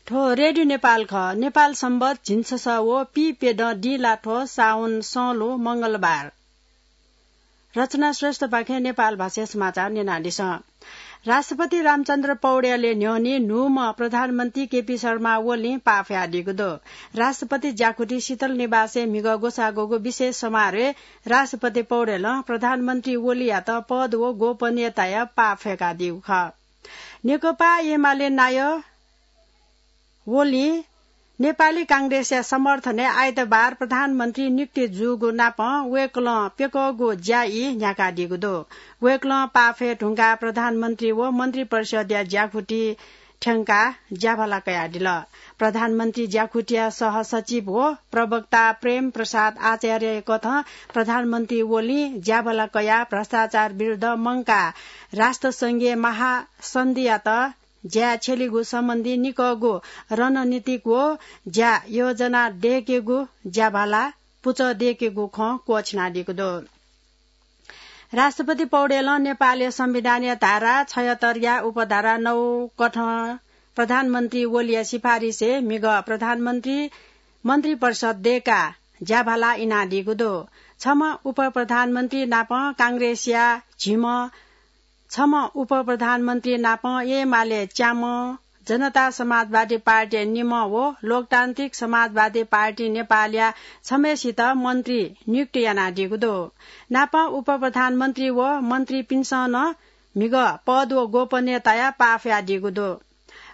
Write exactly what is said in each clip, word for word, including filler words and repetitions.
थ्व रेडियो नेपाल खः। नेपाल संवत झिंछसः व पीप्यदँ दिं लाथ्व साउन सलू मंगलबार। रचना श्रेष्ठपाखें नेपाल भाषाय् समाचार न्यनादिसँ। राष्ट्रपति रामचन्द्र पौड्यालया न्ह्यःने न्हूम्ह प्रधानमन्त्री केपी शर्मा ओलीं पाफयादीगु दु। राष्ट्रपति ज्याखुति शीतल निवासय् म्हिगः ग्वसाःगुगु विशेष समारोहय् राष्ट्रपति पौड्यालं प्रधानमन्त्री ओलीयात पद व गोपनीयताया पाफय्कादीगु खः। नेकपा एमाले नायः ओलीं नेपाली कांग्रेसया समर्थनय् आइतबार प्रधानमन्त्री नियुक्त जूगु नापं वय्कलं प्यकःगु ज्या ई न्ह्याकादीगु दु। वय्कलं पाफय् धुंकाः प्रधानमन्त्री व मन्त्रिपरिषदया ज्याखुति थ्यंकाः ज्याभाला कयादिल। प्रधानमन्त्री ज्याखुतिया सहसचिव व प्रवक्ता प्रेम प्रसाद आचार्यया कथं प्रधानमन्त्री ओलीं ज्याभाला कयाः भ्रष्टाचार विरुद्ध मंकाः राष्ट्रसंघीय महासन्धियात ज्याय् छ्यलीगु सम्बन्धी निकःगु रणनीतिक व ज्या योजना दय्केगु ज्याभाला पुचः दय्केगु खँ क्वःछिनादीगु दु। राष्ट्रपति पौडेलं नेपालया संविधानया धारा छयहत्तरया उपधारा नौ कथं प्रधानमन्त्री ओलीया सिफारिसय् म्हिगः प्रधानमन्त्री मन्त्रिपरिषद दय्काः ज्याभाला इनादीगु दु। छम्ह उपप्रधानमन्त्री नाप कांग्रेसया झिम्ह छम्ह उपप्रधानमन्त्री नाप एमाले च्याम्ह, जनता समाजवादी पार्टी निम्ह व लोकतान्त्रिक समाजवादी पार्टी नेपालया छम्हय्सित मन्त्री नियुक्त यानादीगु दु। नाप उपप्रधानमन्त्री व मन्त्रीपिन्सं नं म्हिगः पद व गोपनीयताया पाफयादीगु दु।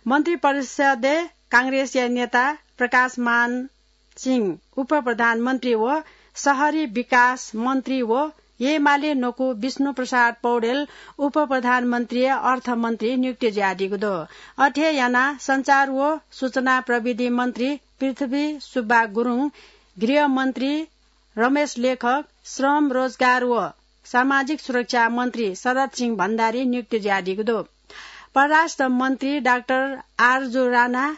मन्त्रिपरिषदय् कांग्रेसया नेता प्रकाशमान सिंह उपप्रधानमन्त्री व शहरी विकास मन्त्री व एमाले न्वकू विष्णु प्रसाद पौडेल उपप्रधानमन्त्री, अर्थमन्त्री नियुक्त जुयादीगु दु। अथे यानाः सञ्चार व सूचना प्रविधि मन्त्री पृथ्वी सुब्बा गुरुङ, गृहमन्त्री रमेश लेखक, श्रम, रोजगार व सामाजिक सुरक्षा मन्त्री शरद सिंह भण्डारी नियुक्त जुयादीगु दु। परराष्ट्र मन्त्री डाक्टर आरजु राणा,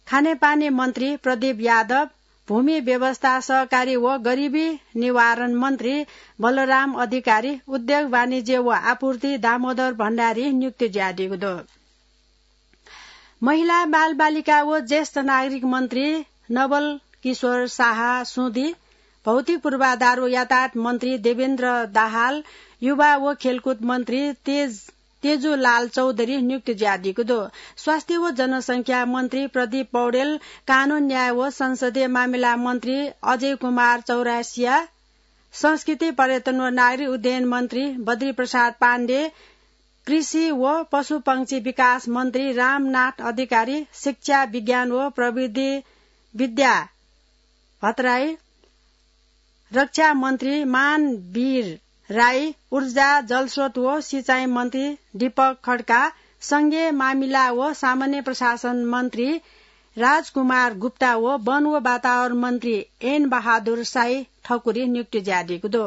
खानेपानी मन्त्री प्रदीप यादव, भूमि व्यवस्था, सहकारी व गरिबी निवारण मन्त्री बलराम अधिकारी, उद्योग, वाणिज्य व आपूर्ति दामोदर भण्डारी नियुक्त जुयादीगु दु। महिला बालबालिका व ज्येष्ठ नागरिक मन्त्री नवल किशोर शाह सुदी, भौतिक पूर्वाधार व यातायात मन्त्री देवेन्द्र दाहाल, युवा व खेलकुद मन्त्री तेज तेजुलाल चौधरी नियुक्त जुयादीगु दु। स्वास्थ्य व जनसंख्या मन्त्री प्रदीप पौडेल, कानून, न्याय व संसदीय मामिला मन्त्री अजय कुमार चौरासिया, संस्कृति, पर्यटन व नागरिक उड्डयन मन्त्री बद्री प्रसाद पाण्डे, कृषि व पशुपंक्षी विकास मन्त्री रामनाथ अधिकारी, शिक्षा, विज्ञान व प्रविधि विद्या भट्टराई, रक्षा मन्त्री मानवीर राई, ऊर्जा, जलस्रोत व सिँचाइ मन्त्री दीपक खड्का, संघीय मामिला व सामान्य प्रशासन मन्त्री राजकुमार गुप्ता व वन व वातावरण मन्त्री एन बहादुर साई ठकुरी नियुक्त जुयादीगु दु।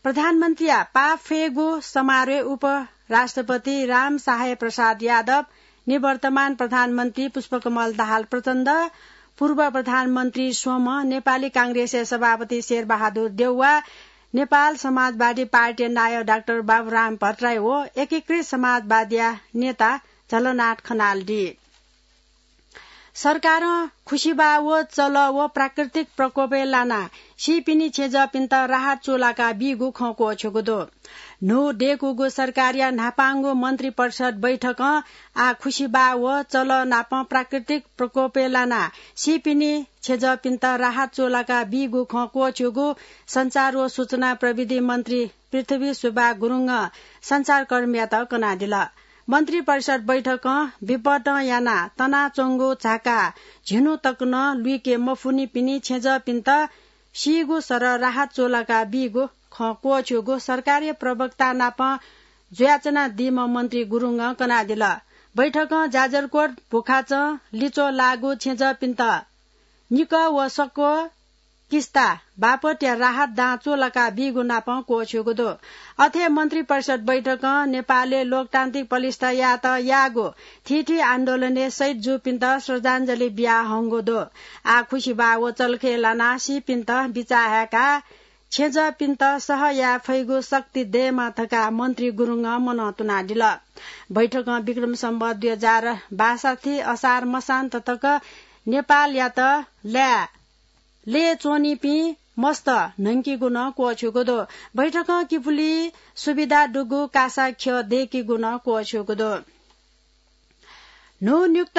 प्रधानमन्त्रीया पाफय्गु समारोहय् उपराष्ट्रपति रामसहाय प्रसाद यादव, निवर्तमान प्रधानमन्त्री पुष्पकमल दाहाल प्रचण्ड, पूर्व प्रधानमन्त्री स्वम्ह, नेपाली कांग्रेसया सभापति शेरबहादुर देउवा, नेपाल समाजवादी पार्टीया नायः डाक्टर बाबुराम भट्टराई व एकीकृत समाजवादीया नेता झलनाथ खनाल दी। सरकारं खुसिबाः व चलः व प्राकृतिक प्रकोपय् लानाः सीपिनि छेँजःपिन्त राहत चूलाका बीगु खँ क्वःछ्यूगु दु। न्हू दय्कूगु सरकारया न्हापांगु मन्त्रिपरिषद बैठकं आः खुसिबाः व चलः नाप प्राकृतिक प्रकोपय् लानाः सीपिनि छेँजःपिन्त राहत चूलाका बीगु खँ क्वःछ्यूगु सञ्चार व सूचना प्रविधि मन्त्री पृथ्वी सुब्बा गुरुङं सञ्चारकर्मीयात कनादिल। मन्त्रिपरिषद बैठकं विपदं यानाः तनाच्वंगु झाका झिन्हु तक नं लुइके मफुनिपिनि छेँजःपिन्त सीगु सरह राहत चूलाका बीगु खँ क्वःछ्यूगु सरकारी प्रवक्ता नाप जुयाच्वनादीम्ह मन्त्री गुरुङं कनादिल। बैठकं जाजरकोट, भुखाचं, लिच्वः लाःगु छेँजःपिन्त निकः व सक्व किस्ता बापतया राहत दां चूलाका बीगु नाप क्वःछ्यूगु दु। अथे मन्त्रिपरिषद बैठकं नेपालय् लोकतान्त्रिक प्रतिष्ठा यायेत याःगु थीथी आन्दोलनय् शहीद जूपिन्त श्रद्धाञ्जली बियाहंगु दु। आः खुसिबाः व चलखय् लानाः सीपिन्त बिचाः हाय्काः छेँजःपिन्त सह याये फइगु शक्ति दयेमा धकाः मन्त्री गुरुङं मनंतुनादिल। बैठकं विक्रम सम्वत दुई हजार बासठी असार मसान्त तक नेपालयात ल्याः लय् च्वनीपिं मस्त न्हंकीगु नं क्वःछ्यूगु दु। बैठकं किपुली सुविधा दुगु कासा ख्यः दय्‌कीगु नं क्वःछ्यूगु दु। न्हून्युक्त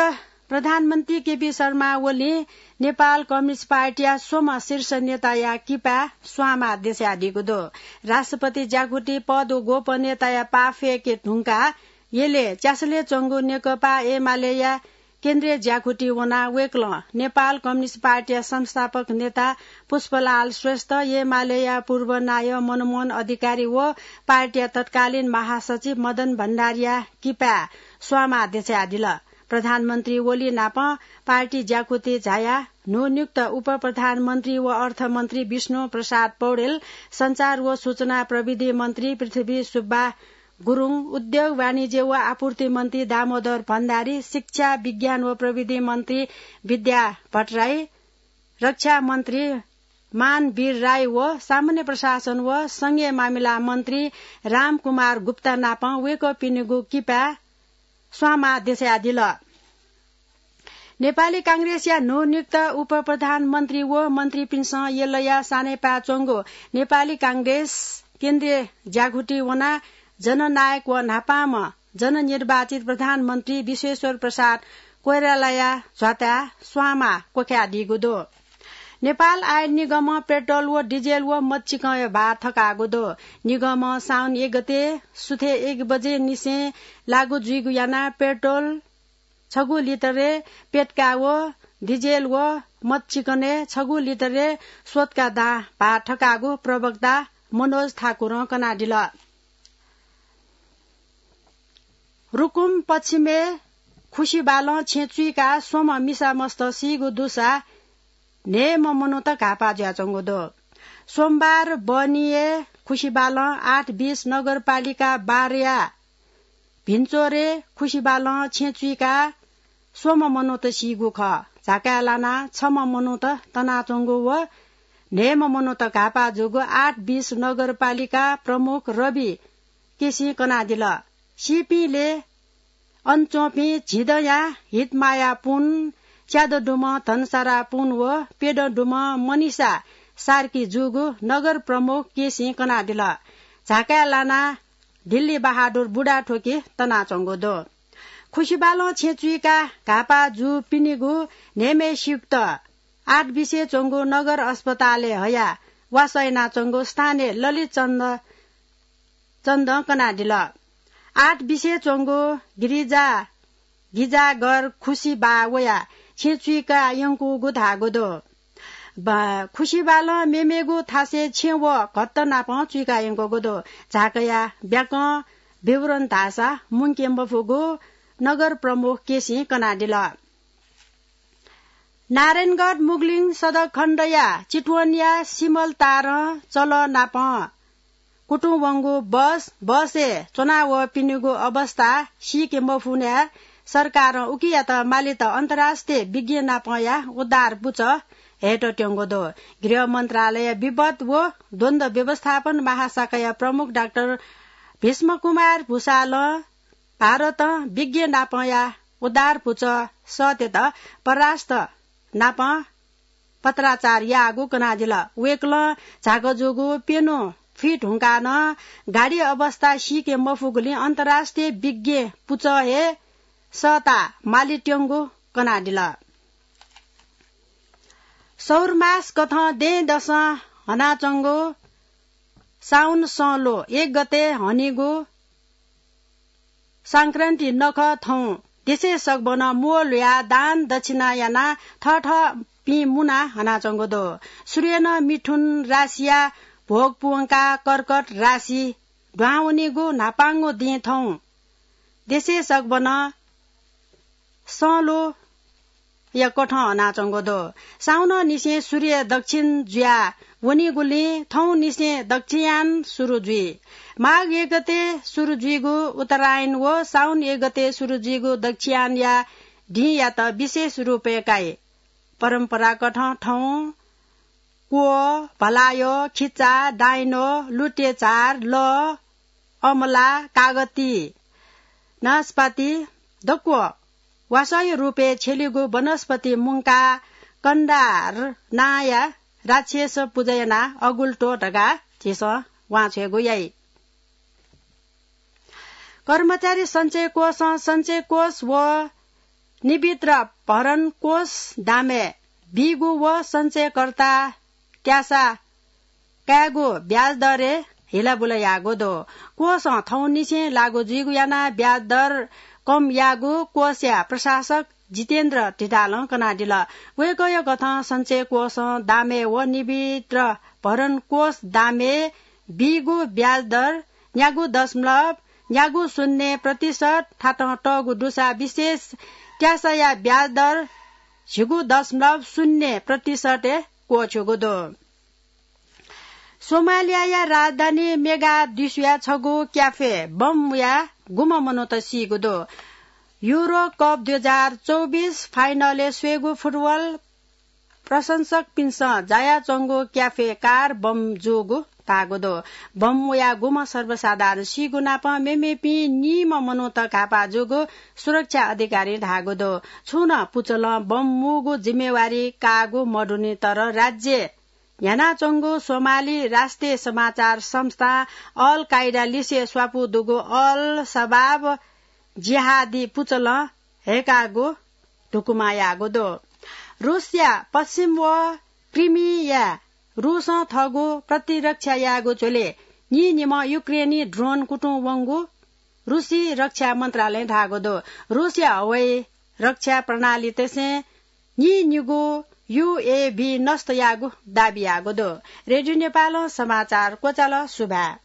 प्रधानमन्त्री केपी शर्मा ओलीं नेपाल कम्युनिस्ट पार्टीया स्वम्ह शीर्ष नेताया किपाय् स्वांमा देछायादीगु दु। राष्ट्रपति ज्याकुथि पद व गोपनीयताया पाः फ्यके धुंकाः यलय् च्यासलय् च्वंगु नेकपा एमालेया केन्द्रीय ज्याकुथि वनाः वय्‌कलं नेपाल कम्युनिस्ट पार्टीया संस्थापक नेता पुष्पलाल श्रेष्ठ, एमालेया पूर्व नायः मनमोहन अधिकारी व पार्टीया तत्कालीन महासचिव मदन भण्डारीया किपाय् स्वांमा देछायादिल। प्रधानमन्त्री ओली नाप पार्टी ज्याकुथि झायाः न्हून्युक्त उपप्रधानमन्त्री व अर्थमन्त्री विष्णु प्रसाद पौडेल, सञ्चार व सूचना प्रविधि मन्त्री पृथ्वी सुब्बा गुरुङ, उद्योग, वाणिज्य व आपूर्ति मन्त्री दामोदर भण्डारी, शिक्षा, विज्ञान व प्रविधि मन्त्री विद्या भट्टराई, रक्षा मन्त्री मानवीर राई व सामान्य प्रशासन व संघीय मामिला मन्त्री रामकुमार गुप्ता नाप वय्‌कःपिनिगु किपाय् स्वांमा देछायादिल। नेपाली कांग्रेसया न्हून्युक्त उपप्रधानमन्त्री व मन्त्रीपिन्सं यलया सानेपाय् च्वंगु नेपाली कांग्रेस केन्द्रीय ज्याकुथि वनाः जननायक व न्हापांम्ह जननिर्वाचित प्रधानमन्त्री विश्वेश्वर प्रसाद कोइरालाया झ्वाताय् स्वांमा क्वखायादीगु दु। नेपाल आयल निगमं पेट्रोल व डिजेल व मदचिकनया भाः थकाःगु दु। निगमं साउन एक गते सुथय् एक बजे निसें लागू जुइगु यानाः पेट्रोल छगू लिटरय् प्यतका व डिजेल व मदचिकनय् छगू लिटरय् स्वतका दां भाः थकाःगु प्रवक्ता मनोज ठाकुरं कनादिल। रुकुम पश्चिमय् खुसिबालं छेँ चुइकाः स्वम्ह मिसा मस्त सीगु दुसा न्हय्‌म्ह मनूत घाःपाः जुयाच्वंगु दु। सोमबार बहनीया खुसिबालं आठ बिस नगरपालिका बाह्रया भिन्चोरय् खुसिबालं छेँ चुइकाः स्वम्ह मनूत सीगु खः। झाकाय् लानाः छम्ह मनूत तनाच्वंगु व न्हय्‌म्ह मनूत घाःपाः जूगु आठ बिस नगरपालिका प्रमुख रवि केसीं कनादिल। सीपिं लय् अन च्वंपिं झिदँया हितमाया पुन, च्यादँ दुम्ह धनसारा पुन व प्यदँ दुम्ह मनिषा सार्की जूगु नगर प्रमुख केसीं कनादिल। झाकाय् लानाः दिल्ली बहादुर बुढाथोकी तनाच्वंगु दु। खुसिबालं छेँ चुइकाः घाःपाः जूपिनिगु न्हय्‌म्हय्‌सित आठ बिसे च्वंगु नगर अस्पतालय् हयाः वासः यानाच्वंगु स्थानीय ललित चन्द चन्दं कनादिल। आठ बिसे च्वंगु गिरिजा गिजागर खुसिबाः वयाः छेँ चुइका यंकूगु धाःगु दु। खुसिबालं मेमेगु थासय् छेँ व घत्त नापं चुइका यंकूगु दु। झाकाया ब्याकं विवरण धाःसा मुंके मफुगु नगर प्रमुख केसीं कनादिल। नारायणगढ मुगलिङ सडक खण्डया चितवनया सिमल तारं चलः नापं कुतुं वंगु बस, बसय् च्वनावःपिनिगु अवस्था सीके मफुनाः सरकारं उकियात मालेत अन्तर्राष्ट्रिय विज्ञ नापंया उद्धार पुचः हयेत त्यंगु दु। गृह मन्त्रालय विपद व द्वन्द्व व्यवस्थापन महाशाखाया प्रमुख डाक्टर भीष्म कुमार भूषालं भारतं विज्ञ नापंया उद्धार पुचः सःतेत परराष्ट्र नापं पत्राचार याःगु कनादिल। वय्कलं झाकः जूगु प्यन्हु फुइ धुंकाः नं गाडी अवस्था सीके मफुगुलिं अन्तर्राष्ट्रिय विज्ञ पुचः हे सःताः माले त्यंगु कनादिल। सौरमास कथं दँय्दसं हनाच्वंगु साउन संलो एक गते हनीगु संक्रान्ति नखः थौं देशय् सकभनं म्वःल्हुयाः दान दक्षिणा यानाः थःथःपिं मुना हनाच्वंगु दु। सुर्यनं मिथुन राशिया भोग प्वंकाः कर्कट राशि दुहां वनीगु न्हापांगु दिं थौं देशय् सकभनं संलो या कथं हनाच्वंगु दु। साउनंनिसें सूर्य दक्षिण जुया वनीगुलिं थौंनिसें दक्षिणयान सुरु जुइ। माघ एक गते सुरु जुइगु उत्तरायण व साउन एक गते सुरु जुइगु दक्षिणयानया दिंयात विशेष रूपय् काइ। परम्पराकथं थौं क्व, भलायो, खिचा, डाइनो, लुटेचार, लः, अमला, कागती, नासपाती, दक्व वासःया रूपय् छ्यलीगु वनस्पति मुंकाः कण्डार नांया राक्षस पुजा यानाः अगुल्टो धकाः झीसं वांछ्वयेगु याइ। कर्मचारी सञ्चय कोषं सञ्चय कोष व निवित्र भरण कोष दामय् बीगु व सञ्चयकर्ता त्यासा कायेगु ब्याज दरय् हिलाबुला याःगु दु। कोषं थौंनिसें लागू जुइगु यानाः ब्याज दर कम याःगु कोषया प्रशासक जितेन्द्र धितालं कनादिल। वय्कःया कथं सञ्चय कोषं दामय् व निवित्र भरण कोष दामय् बीगु ब्याज दर न्यागू दशमलव न्यागू शून्य प्रतिशत थातं तःगु दुसा विशेष त्यासाया ब्याज दर झिगू दशमलव शून्य प्रतिशतय् क्वछ्यूगु दु। सोमालियाया राजधानी मोगादिशुया छगू क्याफे बम मुयाः गुम्ह मनूत सीगु दु। युरो कप दुई हजार चौबिस फाइनलय् स्वयेगु फुटबल प्रशंसकपिन्सं जायाच्वंगु क्याफे कार बम जूगु धाःगु दु। बम मुयाः गुम्ह सर्वसाधारण सीगु नाप मेमेपिं निम्ह मनूत घाःपाः जूगु सुरक्षा अधिकारीं धाःगु दु। छुं नं पुचलं बम मूगु जिम्मेवारी काःगु मदुनि, तर राज्य न्ह्यानाच्वंगु सोमाली राष्ट्रिय समाचार संस्था अल कायदा लिसे स्वापू दुगु अल शबाब जिहादी पुचलं हय्काःगु धुकुमा याःगु दु। रूसया पश्चिम व क्रिमिया रूसं थःगु प्रतिरक्षा याःगु झ्वलय् नीनिम्ह युक्रेनी ड्रोन कुतुं वंगु रूसी रक्षा मन्त्रालयं धाःगु दु। रूसया हवाई रक्षा प्रणालीतय्सं नीनिगू युएभी नष्ट याःगु दाबी याःगु दु। रेडियो नेपालं समाचार क्वचाल। सुभाय्।